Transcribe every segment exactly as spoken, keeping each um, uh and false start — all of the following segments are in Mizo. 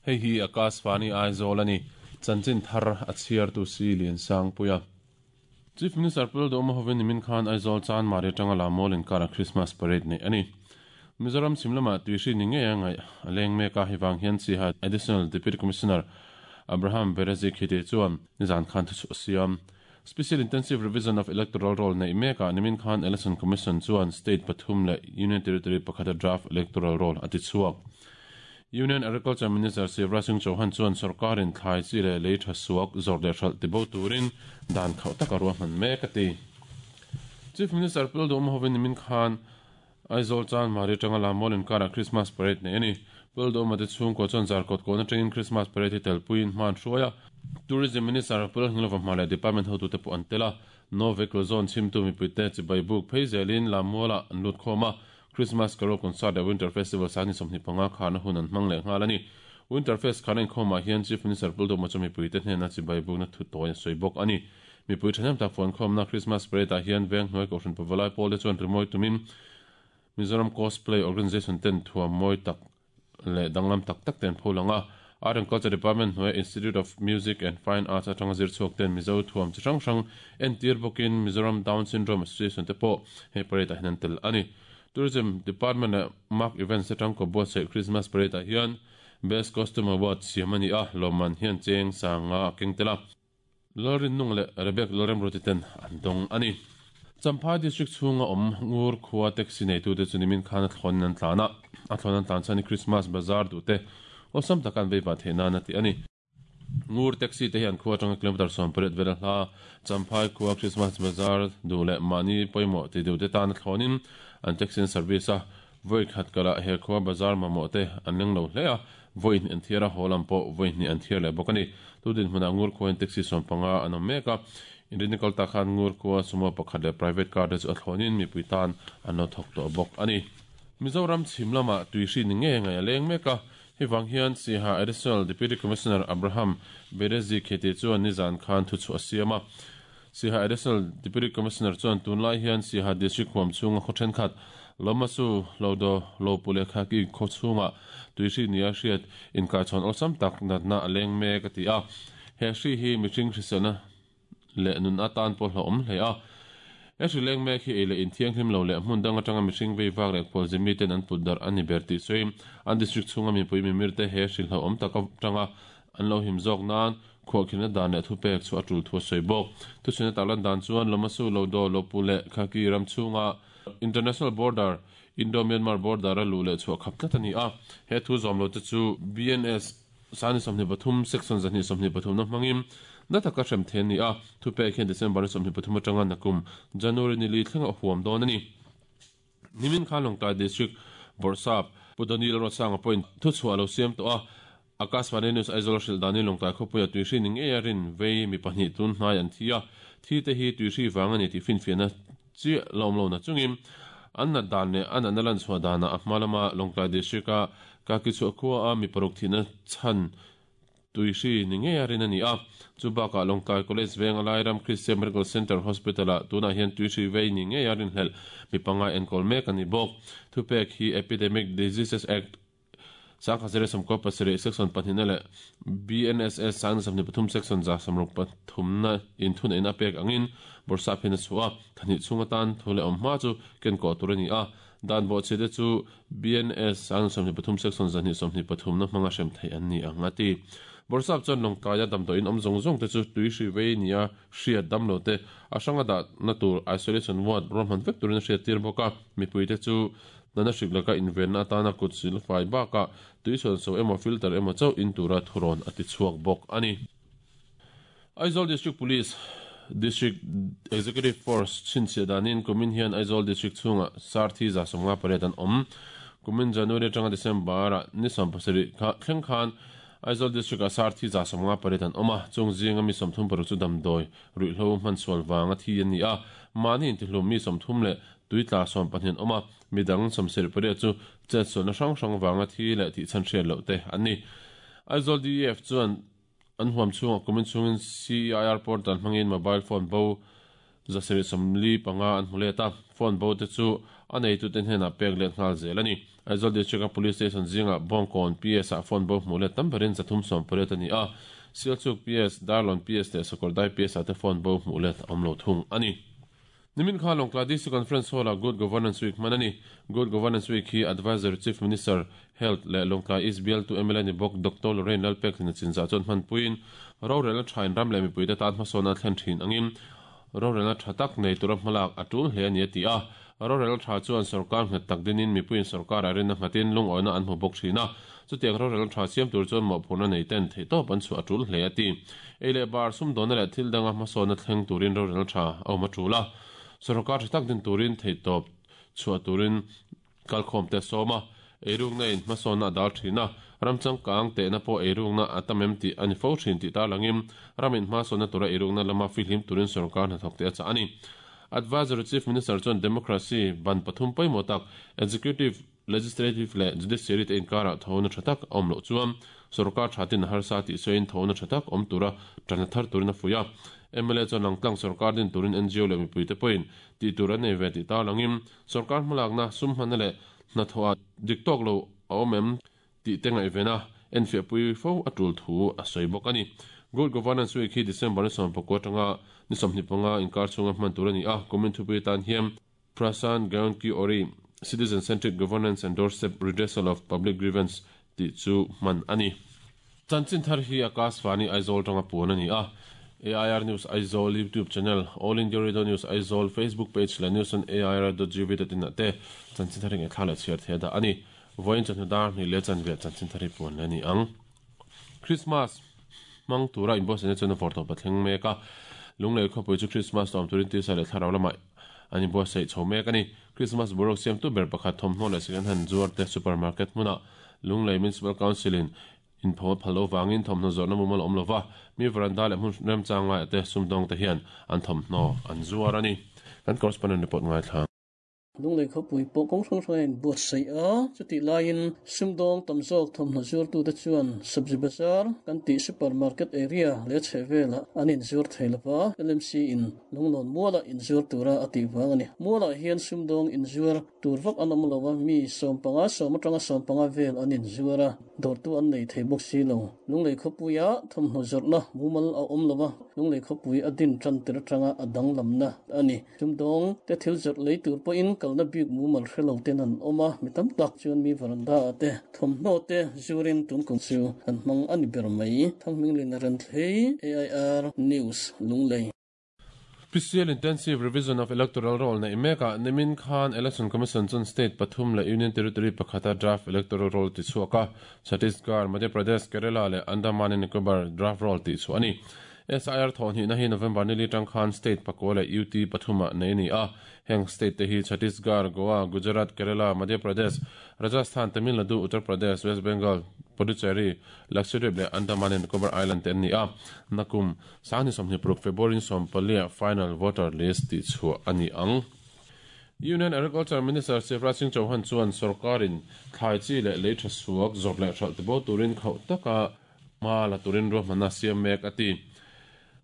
Hei hi Akashvani Aizawl ani chanchin thar a chhiar tu si lian sang puia. Chief Minister Pul Doma hovin nimin khan Aizawl chan mari tanga lamol in kara Christmas parade nei ani. Mizoram simlama tuishi ni nge ngai aleng me ka hiwang hian chi ha Additional Deputy Commissioner Abraham Berezi khite chuan nizan khan thu siam. Special Intensive Revision of Electoral Roll nei meka nimin khan Election Commission chuan state pathum le Union Territory pakhata draft electoral roll ati chuak. Union Agriculture Minister Shivraj Singh Chauhan chuan sarkarin thlai chi le lei tha suak zor le hral tibo turin dan khau taka ruahman mek ati. Chief Minister Pul Doma hovin nimin khan Aizawl chan mari tanga lamol in kara Christmas parade nei ani. Pul Doma te chung ko chuan zarkot ko na tangin Christmas parade hi telpuin hman hruaia. Tourism Minister Pul Hnilova hmale department hotu te pu antela no vehicle zone chimtu mi puite chi baibuk pheizelin lamola anlut khoma Christmas Carol Concert le Winter Festival sani somni panga khana hunan mangle ngalani. Winter Fest khana in khoma hian Chief Minister Pul Doma chumi puite hne na chi baibuk na thu toy soibok ani. Mi pui thanem ta phone khom na Christmas parade a hian veng noi ko hran pavalai pol le chuan rimoi tumin Mizoram Cosplay Organization ten thua moi tak le danglam tak tak ten pholanga. Art and Culture Department hnuai Institute of Music and Fine Arts atanga zir chhuak ten Mizo thuam chi hrang hrang entir bawkin Mizoram Down Syndrome Association te pawh hei parade ah hian an tel ani. Tourism Department leh Mark Events atang ko buatsaih Christmas parade ah hian Best Costume Award siam ani a lawmman hian cheng sanga a keng tel a. Lalrin nung leh Rebek Lalrem Ruti ten an dawng ani. Champhai District chhunga awm ngur khua taxi nei tu te chu nimin khan a thlawn an tlan a. A thlawn an tlan chuan Christmas bazaar duh te awsam takan vei va theih nan ati ani. Ngur taxi te hian khua atanga kilometer sawm pariat vel a hla. Champhai khua Christmas bazaar duh leh mahni pawimawh ti duh te tan a thlawnin an taxi service a voi khat kala he khua bazaar mamawh te an leng lo hle a. Voi hnih an thiar a haw lam pawh voi hnih an thiar leh bawk ani. Tudin hmunah ngur khua in taxi sawm panga an awm mek a. Inrinikal ta khan ngur khua sumo pakhat leh private car te chu a thlawnin mipui tan an lo thawk tawh bawk ani. Mizoram chhimlama tuishi ni nge ngai a leng mek a. Hiwang hian Siha Additional Deputy Commissioner Abraham Berezi khete chuan nizan khan thu chu a siam a. Siha Additional Deputy Commissioner chuan tunlai hian Siha District huam chhunga khaw thenkhat Lomasu Lodo Lopule khaki khaw chhunga tuishi nia hriat inkaichhawn awlsam tak natna a leng mek a ti a. He hri hi mihring hriselna le nun atan pawh hlauhawm hle a. He hri leng mek hi ei leh inthianghlim lo leh hmun dang atanga mihring vei vak leh khualzim mi ten an put darh ani ber tih sawi an district chhunga mipui mimir te he hri hlauhawm tak atanga an lo him zawk nan khuahkhilna dan leh thupek chu a tul thu a sawi bawk. Thuchhuina taklan dan chuan Lomasu Lodo Lopu leh Khaki ram chhunga International Border Indo-Myanmar border a luh leh chhuah khap tlat ani a. He thu zawm lo te chu B N S sani sawmhnih pathum section zahnih sawmhnih pathum na hmangin na taka hrem then ni a. Thupek hian December sawmhnih pathum atanga nakum January ni li thlenga huam dawn ani. Nimin khan Lawngtlai District Borsap Pudanil Rosanga point thu chhuah lo siam tawh a. Akashvani News Aizawl hril dani Lawngtlai khawpuia tuihri ni ngei a rin vei mi pahnih tun hnai an thi a. Thi te hi tuihri wang ani tih finfiahna chi lawm lo na chungin an nat dan leh an natna lan chhuah danah a hma lama Lawngtlai District a kaki chhuah khua a mi paruk thihna chhan tuihri ni ngei a rin ani a. Chu bakah Lawngtlai College veng a Lairam Christian Medical Center Hospital a tunah hian tuihri vei ni ngei a rin hlelh mi panga enkawl mek ani bawk. Thupek hi Epidemic Diseases Act sangkhat zero sawmkaw pasarih section pahnihna leh B N S S sangna sawmhnih pathum section za sawmruk pathumna inthun ein a pek angin borsap hian a chhuah a. Thahnih chhung atan thu leh awm hma chu ken kawh tur ani a. Dan bawh che te chu B N S sangna sawmhnih pathum section zahnih sawmhnih pathumna hmanga hrem theih an ni ang a ti. Borsap chuan Lawngtlaia damdawiin awm zawng zawng te chu tuihri vei nia hriat damlo te a hranga dah na tur isolation ward ruahman vek turin a hriat tir bawk a. Mipui te chu nana hrik laka invenna atana kut sil fai bakah tuisawn so emaw filter emaw chauh in tura thuron a ti chhuak bawk ani. Aizawl District Police District Executive Force chhinchhiah danin kumin hian Aizawl District chhunga sarthi za sawmnga pariat an awm. Kumin January atanga December ah ni sawm pasarih kha thleng khan Aizawl District a sarthi za sawmnga pariat an awm a. Chung zinga mi sawmthum paruk chu damdawi ruihhlo hman sual wanga thi ani a. Mahni intihlum mi sawmthum leh tuitla sawm pahnih an awm a. Midang sawmsarih pariat chu chet sualna hrang hrang wanga thi leh tih chhan hriat loh te ani. Aizawl D E F chuan an huam chhunga kumin chhungin C I R portal hmangin mobile phone bo zasarih sawmli panga an hmu let a. Phone bo te chu a nei tu ten henah pek let nghal zel ani. Aizawl District Police Station zinga Bawngkawn P S a phone bo hmuh let tam berin zathum sawm pariat ani a. Sialsuk P S, Darlawn P S leh Sakawrdai P S ah te phone bo hmuh let awm lo thung ani. Nimin khan Lawngtlai D C Conference Hall a Good Governance Week hman ani. Good Governance Week hi Advisor Chief Minister Health leh Lawngtlai East bialtu M L A ni bawk Doctor Lorraine Lalpekhlin chinzah chuan hman puiin rorel a thain ram leh mipui te tan hmasawn a thlen thin angin rorel a tha tak nei tura hmalak a tul hle ani a ti a. Rorel tha chuan sarkar nghet tak dinin mipuiin sarkar a rinna nghatin lungawina an hmu bawk thin a. Chutiang rorel tha siam tur chuan mawhphurhna nei ten theihtawp an chu a tul hle a ti. Ei leh bar sum dawna leh thil danga hmasawn a thleng turin rorel tha a awm a tul a. Sarkar tha tak din turin theihtawp chhuah turin kalkhawm te sawma eirukna in hmasawn a dal thin a. Ramchang kang te na pawh eirukna a tamem ti ani fo thin ti tar langin ramin hmasawn na tura eirukna lama fihlim turin sarkar hnathawk te a chah ani. Advisory Chief Minister chuan democracy ban pathum pawimawh tak executive, legislative leh judiciary te inkara thona tha tak awm loh chuan sarkar thatin harsa ti soin thona tha tak awm tura tana thar turin a fuia. M L A chuan langtlang sarkar din turin N G O leh mipui te pawhin ti tur an nei ve ti tar langin sarkar hmalakna sum hmanna leh hnathawh dik tawk lo a awm em ti te ngaihvena enfiah pui fo a tul thu a sawi bawk ani. Good Governance Week hi December ni sawm pakua atanga ni sawmhnih panga inkar chhunga hman tur ani a. Kumin thupui tan hian Prashan Gaon Ki Ori, Citizen Centric Governance and Doorstep Redressal of Public Grievance ti chu hman ani. Chanchin thar hi Akashvani Aizawl tanga puan ani a. A I R News Aizawl YouTube channel, All India Radio News Aizawl Facebook page leh news on A I R dot gov dot in te chanchin thar nge thla chhiar the da ani. Voin chan dar ni le chan ve chanchin thar hi puan le ni ang. Christmas mang tura inbo sene chuan forto pathleng meka lunglei khawpui chu Christmas tom turin ti sa le thlarau lama ani bo sei chho mek ani. Christmas borok siam tu ber pakhat thawmhnaw leh second hand zuar te supermarket hmuna Lunglei Municipal Council in in pho phalo wangin thawmhnaw zawrhna mumal awm lova mi veranda leh hmun remchang lai te sumdawng te hian an thawmhnaw an zuar ani. Kan correspondent report ngai thla. Lunglei khawpui pawh kawng hrang hrang in buatsaih a. Chutih laiin sumdawng tam zawk thawmhnaw zuartu te chuan Sabzi Bazar kan tih supermarket area leh chheh velah an inzuar thei lova, L M C in Lunglawn muala inzuar tura a tih vang ani. Mualah hian sumdawng inzuar tur vak an awm lova, mi sawm panga sawm atanga sawm panga vel an inzuar a, dawrtu an nei thei bawk si lo. Lunglei khawpuia thawmhnaw zawrhna mumal a awm lova, lunglei khawpui a din tan tir atanga a danglamna ani. Sumdawng te thil zawrh lei tur pawhin kalna bik mumal hrelo ten an awm a. Mi tam tak chuan mi veranda te thawmhnaw te zurin tun kum chu an hmang ani ber mai. Thangminglin a ran thlei, A I R News, Lunglei. Special Intensive Revision of Electoral Roll na imeka nimin khan Election Commission chun state pathum le Union Territory pakhata draft electoral roll ti chuaka. Chhattisgarh, Madhya Pradesh, Kerala le Andaman and Nicobar draft roll ti chu ani. S I R thon hi na hi November ni li tang khan state pakwa le U T pathuma nei ni a. Heng state te hi Chhattisgarh, Goa, Gujarat, Kerala, Madhya Pradesh, Rajasthan, Tamil Nadu, Uttar Pradesh, West Bengal, Puducherry, Lakshadweep le Andaman and Nicobar Island ten ni a. Nakum sani somni pruk February som palia final voter list ti chu ani ang. Union Agriculture Minister Shivraj Singh Chauhan chuan sarkarin thlai chi le lei tha suak zawrh leh hralh te bo turin khauh taka ma la turin ruahmanna siam mek ati.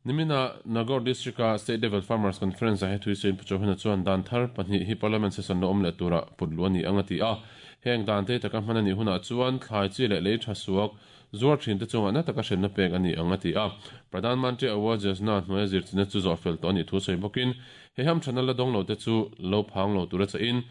Nimina Nagaur District a State Level Farmers Conference a he thui sein Chauhan chuan dan thar pahnih hi Parliament session lo awm leh tura putlu ani ang ati a. Heng dan te taka hman ani huna chuan thlai chi leh lei tha suak zuar thin te chunga na taka hrenna pek ani ang ati a. Pradhan Mantri Awas Yojana hnuaia zirchina chu zawh fel tawh ani thu sawi bawkin he ham thana la dawng lo te chu lo phang lo tura cha in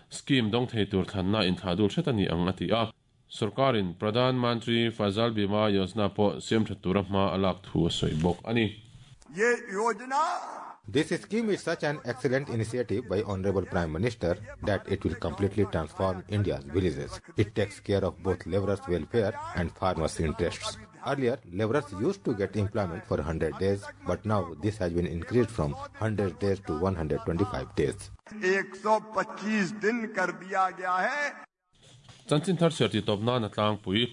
scheme dawng thei tur thlanna in thla dul hret ani ang ati a. Sarkarin Pradhan Mantri Fasal Bima Yojana pawh siam tha tura hma a lak thu a sawi bawk ani. ये योजना This scheme is such an excellent initiative by Honorable Prime Minister that it will completely transform India's villages. It takes care of both laborers' welfare and farmers' interests. Earlier, laborers used to get employment for one hundred days, but now this has been increased from one hundred days to one hundred twenty-five days. एक सौ पच्चीस दिन कर दिया गया है। Chanchin thar chhiar ti tawp na na tlangpui.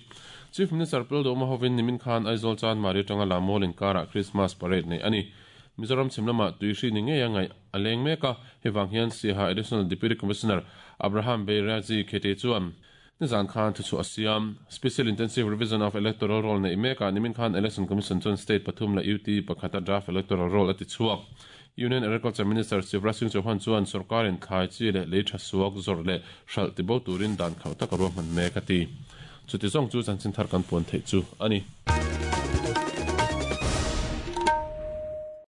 Chief Minister Lalduhoma hovin nimin khan Aizawl Chanmari tanga Lammual inkara Christmas parade nei ani. Mizoram chhimlama tuihri ni ngei angai aleng meka hewang hian Siaha Additional Deputy Commissioner Abraham Beiraji Khete chuan nizan khan thu chu asiam. Special Intensive Revision of Electoral Roll nei meka nimin khan Election Commission chuan state pathum la U T pakhata draft electoral roll ati chuak. Union Agriculture Minister Shivraj Singh Chauhan chuan sorkarin thlai chi leh lei tha suak zawrh leh hralh tibo turin dan khauh tak a ruahman mek a ti. Chuti zawng chu chanchin thar kan puan theih chu a ni.